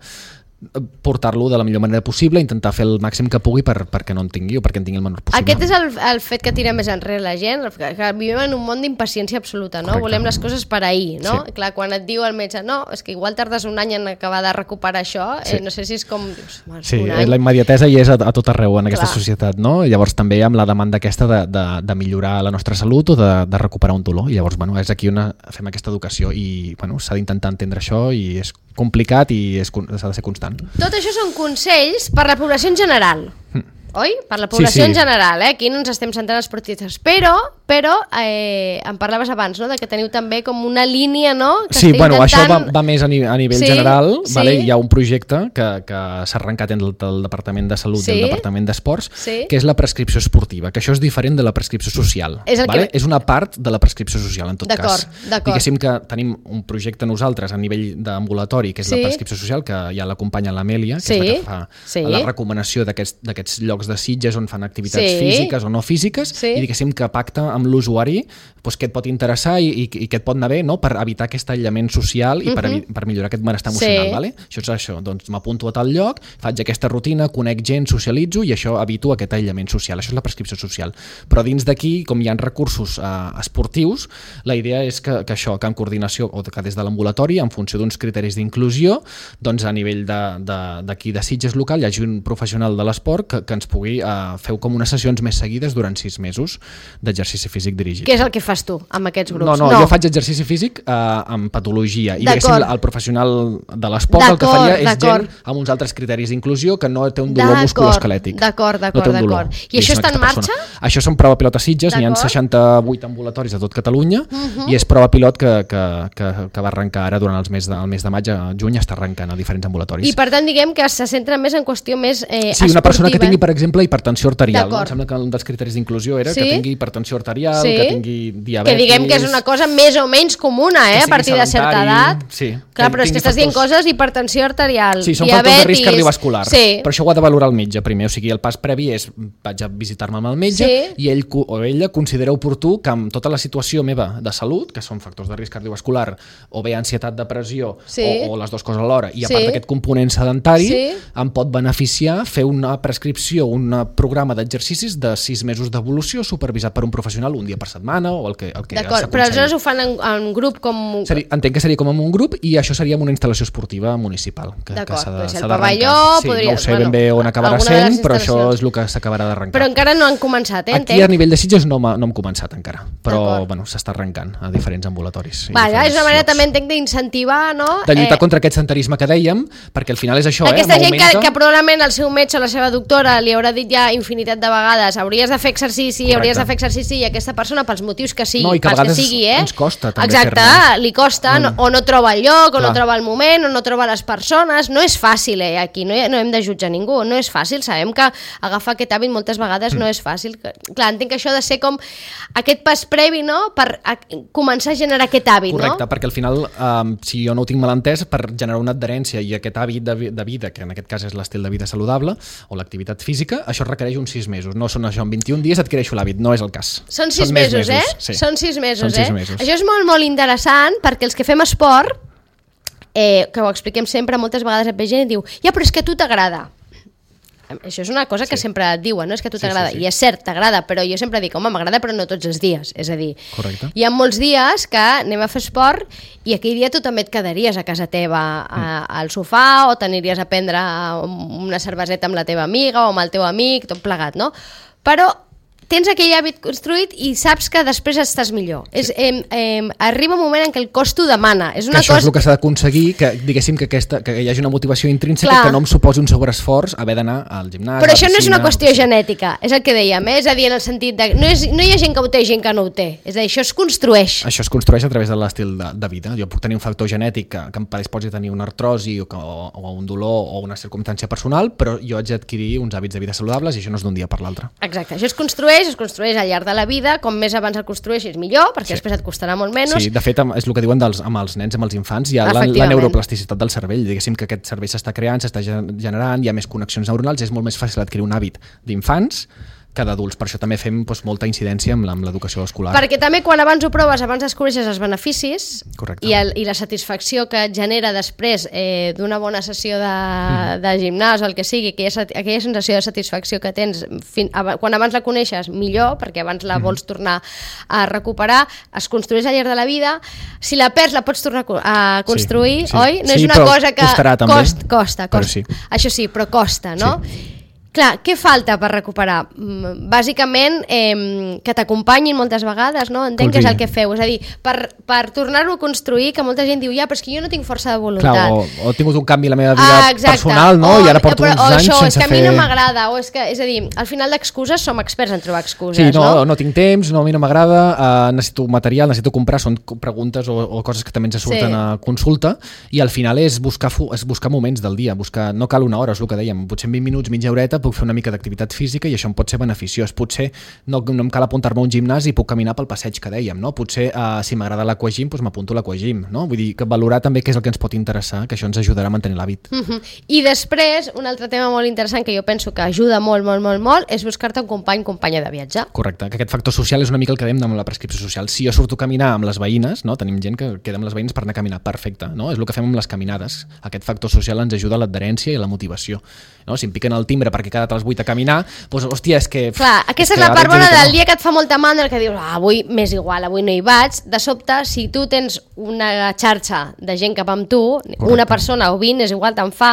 portar-lo de la millor manera possible, intentar fer el màxim que pugui per, perquè no en tingui o perquè en tingui el menor possible. Aquest és el, el fet que tira més enrere la gent, que, que vivim en un món d'impaciència absoluta, no? Correcte. Volem les coses per ahir, no? Sí. Clar, quan et diu el metge, no, és que igual tardes un any en acabar de recuperar això, sí. eh, no sé si és com... Dius, sí, la immediatesa hi és a, a tot arreu en aquesta Clar. Societat, no? Llavors també amb la demanda aquesta de, de, de millorar la nostra salut o de, de recuperar un dolor, i llavors, bueno, és aquí on fem aquesta educació i, bueno, s'ha d'intentar entendre això i és complicat i s'ha de ser constant. Tot això són consells per la població en general. Mm. Oi? Per la població sí, sí. en general, eh? Aquí no ens estem centrant els esportistes, però, però eh, em parlaves abans, no?, de que teniu també com una línia, no?, que sí, bueno, intentant... això va, va més a, ni, a nivell sí, general, sí. Vale? Hi ha un projecte que, que s'ha arrencat entre el, el Departament de Salut sí. i el Departament d'Esports, sí. que és la prescripció esportiva, que això és diferent de la prescripció social. És, vale? que... és una part de la prescripció social, en tot cas. Diguéssim que tenim un projecte nosaltres a nivell d'ambulatori, que és sí. la prescripció social, que ja l'acompanya l'Amèlia, que sí. és la que fa sí. la recomanació d'aquests llocs de Sitges on fan activitats sí. físiques o no físiques sí. i diguéssim que pacta amb l'usuari doncs, què et pot interessar i, i, i què et pot anar bé, no? Per evitar aquest aïllament social i uh-huh. per, per millorar aquest benestar emocional. Sí. Vale? Això és això, doncs m'apunto a tal lloc, faig aquesta rutina, conec gent, socialitzo i això evito aquest aïllament social. Això és la prescripció social. Però dins d'aquí, com hi ha recursos eh, esportius, la idea és que, que això, que en coordinació, o que des de l'ambulatori, en funció d'uns criteris d'inclusió, doncs a nivell d'aquí de, de, de Sitges local hi hagi un professional de l'esport que, que ens pugui eh, feu com unes sessions més seguides durant sis mesos d'exercici físic dirigit. Què és el que fas tu amb aquests grups? No, no, no. jo faig exercici físic eh, amb patologia i diguéssim el professional de l'esport el que faria és gent amb uns altres criteris d'inclusió que no té un dolor musculoesquelètic. D'acord, d'acord, no d'acord. I això està en marxa? Persona. Això són prova pilot a Sitges, n'hi ha seixanta-vuit ambulatoris a tot Catalunya uh-huh. i és prova pilot que, que, que, que va arrencar ara durant els mes de, el mes de maig a juny, està arrencant a diferents ambulatoris. I per tant diguem que se centra més en qüestió més eh, sí, una persona que tingui, per exemple, hipertensió arterial. No? Em sembla que un dels criteris d'inclusió era sí? que tingui hipertensió arterial, sí? que tingui diabetis... Que diguem que és una cosa més o menys comuna, eh? A partir de certa edat. Sí. Clar, però és que estàs dient coses hipertensió arterial, sí, són diabetis... factors de risc cardiovascular. Sí. Però això ho ha de valorar el metge primer. O sigui, el pas previ és vaig a visitar-me amb el metge sí? i ell o ella considera oportú que amb tota la situació meva de salut, que són factors de risc cardiovascular, o bé ansietat, depressió, sí. o, o les dues coses alhora, i a part sí. d'aquest component sedentari, sí. em pot beneficiar fer una prescripció, un programa d'exercicis de sis mesos d'evolució supervisat per un professional un dia per setmana o el que, el que D'acord, però aleshores ho fan en, en grup com... Seria, entenc que seria com en un grup i això seria en una instal·lació esportiva municipal. Que, D'acord, que doncs el pavelló... Sí, podria... no ho sé bueno, ben bé on acabarà sent, però això és el que s'acabarà d'arrencar. Però encara no han començat, eh? Aquí a nivell de Sitges no, no hem començat encara, però bueno, s'està arrencant a diferents ambulatoris. Vaja, és una manera llocs. també entenc d'incentivar, no? De lluitar eh... contra aquest sedentarisme que dèiem, perquè al final és això, Aquesta eh? gent que, que probablement el seu metge o la seva doctora li haurà dit ja infinitat de vegades hauries de fer exercici, Correcte. hauries de fer exercici i aquesta persona pels motius que sigui, no, i que pels a vegades que sigui, eh? ens costa també Exacte, fer-ne. li costa, no, o no troba el lloc, o Clar. no troba el moment, o no troba les persones, no és fàcil, eh? Aquí no, no hem de jutjar ningú, no és fàcil, sabem que agafar aquest hàbit moltes vegades mm. no és fàcil. Clar, entenc que això ha de ser com aquest pas previ, no?, per a, començar a generar aquest hàbit, Correcte, no? perquè al final, um, si jo no ho tinc mal entès, per generar una adherència i aquest hàbit de, de vida, que en aquest cas és l'estil de vida saludable, o l'activitat física, això requereix uns sis mesos. No són això, en vint-i-un dies adquireixo l'hàbit, no és el cas. Són sis són mesos, mesos, eh? Sí. Són sis mesos, són sis eh? Mesos. Això és molt, molt interessant, perquè els que fem esport, eh, que ho expliquem sempre, moltes vegades et ve gent i diu, ja, però és que a tu t'agrada. Això és una cosa que sí. sempre et diuen, no? És que a tu t'agrada, sí, sí, sí. i és cert, t'agrada, però jo sempre dic, home, m'agrada però no tots els dies, és a dir, Correcte. Hi ha molts dies que anem a fer esport i aquell dia tu també et quedaries a casa teva a, al sofà o t'aniries a prendre una cerveseta amb la teva amiga o amb el teu amic, tot plegat, no? Però tens aquell hàbit construït i saps que després estàs millor. Sí. És, eh, eh, arriba un moment en què el cos t'ho demana. És una que això cosa... és el que s'ha d'aconseguir, que diguéssim que, aquesta, que hi hagi una motivació intrínseca Clar. que no em suposi un sobreesforç haver d'anar al gimnàs, Però a la això no és una piscina, qüestió sí. genètica, és el que dèiem, eh? És a dir, en el sentit de... No, és, no hi ha gent que ho té i gent que no ho té. És a dir, això es construeix. Això es construeix a través de l'estil de, de vida. Jo puc tenir un factor genètic que, que em predisposi a tenir una artrosi o, que, o, o un dolor o una circumstància personal, però jo haig d'adquirir uns hàbits de vida saludables i això no és d'un dia per l'altre. Exacte, això es construeix, es construeix al llarg de la vida, com més abans el construeixis millor, perquè sí. després et costarà molt menys. Sí, de fet, és el que diuen dels, amb els nens, amb els infants, hi ha la, la neuroplasticitat del cervell, diguéssim que aquest cervell s'està creant, s'està generant, hi ha més connexions neuronals, és molt més fàcil adquirir un hàbit d'infants que d'adults, per això també fem doncs, molta incidència amb l'educació escolar. Perquè també quan abans ho proves, abans descobreixes els beneficis i, el, i la satisfacció que et genera després eh, d'una bona sessió de, mm. de gimnàs o el que sigui, aquella, aquella sensació de satisfacció que tens fin, ab, quan abans la coneixes millor, perquè abans la mm. vols tornar a recuperar, es construeix al llarg de la vida, si la perds la pots tornar a construir, sí, sí. oi? No sí, és una però cosa que costarà, també. Cost, costa, costa. Sí. Això sí, però costa, no? Sí. Clar, què falta per recuperar? Bàsicament, eh, que t'acompanyin moltes vegades, no? Entenc que és el que feu. És a dir, per, per tornar-ho a construir, que molta gent diu, ja, però és que jo no tinc força de voluntat. Clar, o, o he tingut un canvi a la meva vida ah, personal, no? O, I ara porto però, uns anys això, sense fer... és que a mi no m'agrada, o és que, és a dir, al final d'excuses som experts en trobar excuses, sí, no? no? no tinc temps, no, a mi no m'agrada, uh, necessito material, necessito comprar, són preguntes o, o coses que també ens surten sí. a consulta, i al final és buscar, és buscar moments del dia, buscar, no cal una hora, és el que dèiem, potser en vint minuts, mitja horeta, puc fer una mica d'activitat física i això em pot ser beneficiós. Potser no, no em cal apuntar-me a un gimnàs i puc caminar pel passeig que dèiem, no? Potser uh, si m'agrada l'aquagym, doncs m'apunto a l'aquagym, no? Vull dir que valorar també què és el que ens pot interessar, que això ens ajudarà a mantenir l'hàbit. Uh-huh. I després, un altre tema molt interessant que jo penso que ajuda molt, molt, molt, molt, és buscar-te un company, companya de viatge. Correcte, que aquest factor social és una mica el que dèiem amb la prescripció social. Si jo surto a caminar amb les veïnes, no? Tenim gent que queda amb les veïnes per anar a caminar, perfecte, no? És el que fem amb les caminades. Aquest factor social ens ajuda a l'adherència i a la motivació. No? Si em piquen el timbre perquè he quedat a les vuit a caminar, doncs, hòstia, és que... Clar, aquesta és, és la part bona del dia que et fa molta mandra, que dius, ah, avui m'és igual, avui no hi vaig. De sobte, si tu tens una xarxa de gent cap amb tu, correcte, una persona o vint, és igual, te'n fa,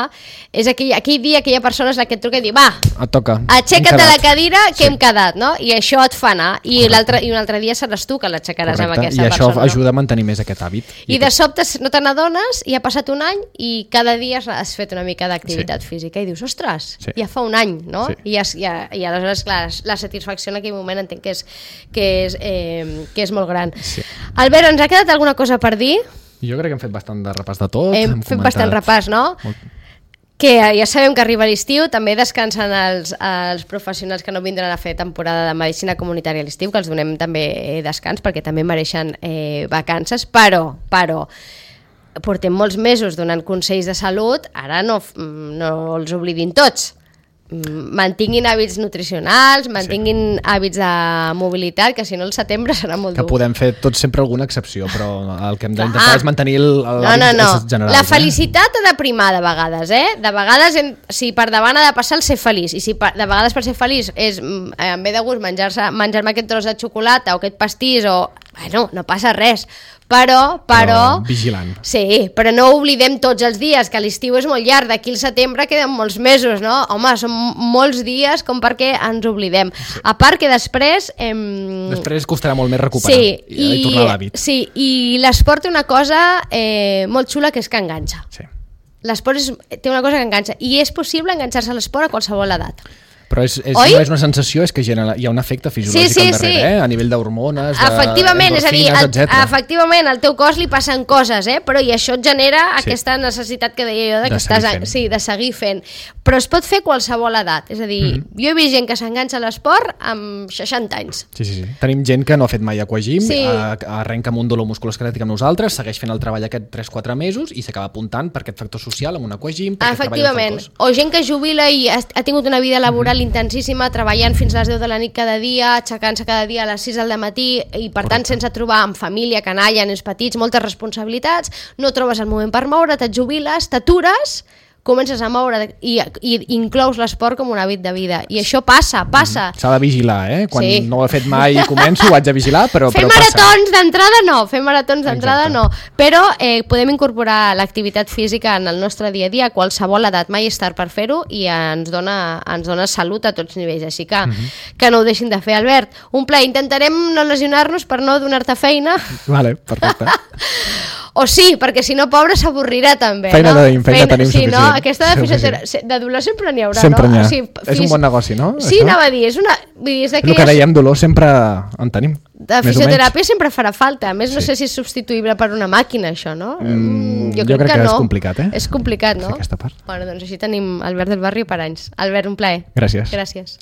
és aquell, aquell dia, aquella persona és la que et truca i diu, va, et toca, aixeca't de la cadira que sí. hem quedat, no? I això et fa anar, i, i un altre dia seràs tu que l'aixecaràs amb aquesta i persona. I això ajuda no? a mantenir més aquest hàbit. I, I de sobte no te n'adones i ha passat un any i cada dia has fet una mica d'activitat sí. física i dius, ostres, sí. ja fa un any, no? Sí. I, has, ja, i aleshores, clar, la satisfacció en aquell moment entenc que és, que és, eh, que és molt gran. Sí. Albert, ens ha quedat alguna cosa per dir? Jo crec que hem fet bastant de repàs de tot. Hem, hem fet comentat... bastant repàs, no? Molt... Que ja sabem que arriba l'estiu, també descansen els, els professionals que no vindran a fer temporada de medicina comunitària a l'estiu, que els donem també descans perquè també mereixen eh, vacances, però, però portem molts mesos donant consells de salut, ara no, no els oblidin tots. Mantinguin hàbits nutricionals, mantinguin sí. hàbits de mobilitat, que si no el setembre serà molt que dur. Que podem fer tots sempre alguna excepció, però el que hem d'intentar ah. és mantenir l'hàbit no, no, no. general. La felicitat eh? ha de primar de vegades, eh? De vegades, si per davant ha de passar el ser feliç, i si per, de vegades per ser feliç és, em ve de gust menjar-se menjar-me aquest tros de xocolata o aquest pastís, o... Bueno, no passa res, però... Però, però vigilant. Sí, però no oblidem tots els dies, que l'estiu és molt llarg, d'aquí al setembre queden molts mesos, no? Home, són molts dies com perquè ens oblidem. Sí. A part que després... Em... Després costarà molt més recuperar sí, i, i tornar a l'hàbit. Sí, i l'esport té una cosa eh, molt xula, que és que enganxa. Sí. L'esport és, té una cosa que enganxa, i és possible enganxar-se a l'esport a qualsevol edat. Però és, és, Oi? no és una sensació, és que genera, hi ha un efecte fisiològic Sí, sí, al darrere, sí. eh? A nivell d'hormones, Efectivament, és a dir, d'endorfines, el, etcètera. efectivament, al teu cos li passen coses, eh? Però i això et genera Sí. aquesta necessitat que deia jo de, que De seguir estàs, fent. sí, de seguir fent. Però es pot fer a qualsevol edat, és a dir, Mhm. jo he vist gent que s'enganxa a l'esport amb seixanta anys. Sí, sí, sí. Tenim gent que no ha fet mai aquagym, Sí. sí. arrenca amb un dolor musculoesquelètic amb nosaltres, segueix fent el treball aquest tres quatre mesos i s'acaba apuntant per aquest factor social amb un aquagym, perquè treballa Efectivament, tot el cos. o gent que jubila i ha, ha tingut una vida laboral mm-hmm. intensíssima, treballant fins a les deu de la nit cada dia, aixecant-se cada dia a les sis del matí i per tant Correcte. sense trobar amb família, canalla, nens petits, moltes responsabilitats, no trobes el moment per moure't, et jubiles, t'atures, comences a moure i, i inclous l'esport com un hàbit de vida. I això passa, passa. S'ha de vigilar, eh? Quan Sí. no ho he fet mai i començo, ho haig de vigilar, però, Fer però passa. maratons d'entrada no, fer maratons d'entrada Exacte. no, però eh, podem incorporar l'activitat física en el nostre dia a dia a qualsevol edat, mai és tard per fer-ho i ens dona, ens dona salut a tots nivells, així que, mm-hmm. que no ho deixin de fer. Albert, un plaer, intentarem no lesionar-nos per no donar-te feina. Vale, perfecte. O sí, perquè si no, pobre, s'avorrirà també. Feina no? tenim, feina tenim sí, no? suficient. Aquesta de, Suficient. fisiotera... de dolor sempre n'hi haurà, Sempre no? n'hi ha. O sigui, És un bon negoci, no? Sí, Això? anava a dir, és una... Vull dir, és El que d'aquelles... dèiem, dolor sempre en tenim. De més o menys. fisioteràpia sempre farà falta. A més, no Sí. sé si és substituïble per una màquina, això, no? Mm, jo jo crec, crec que, que no. és complicat, eh? És complicat, no? Fer aquesta part. Bueno, doncs així tenim Albert del Barri per anys. Albert, un plaer. Gràcies. Gràcies.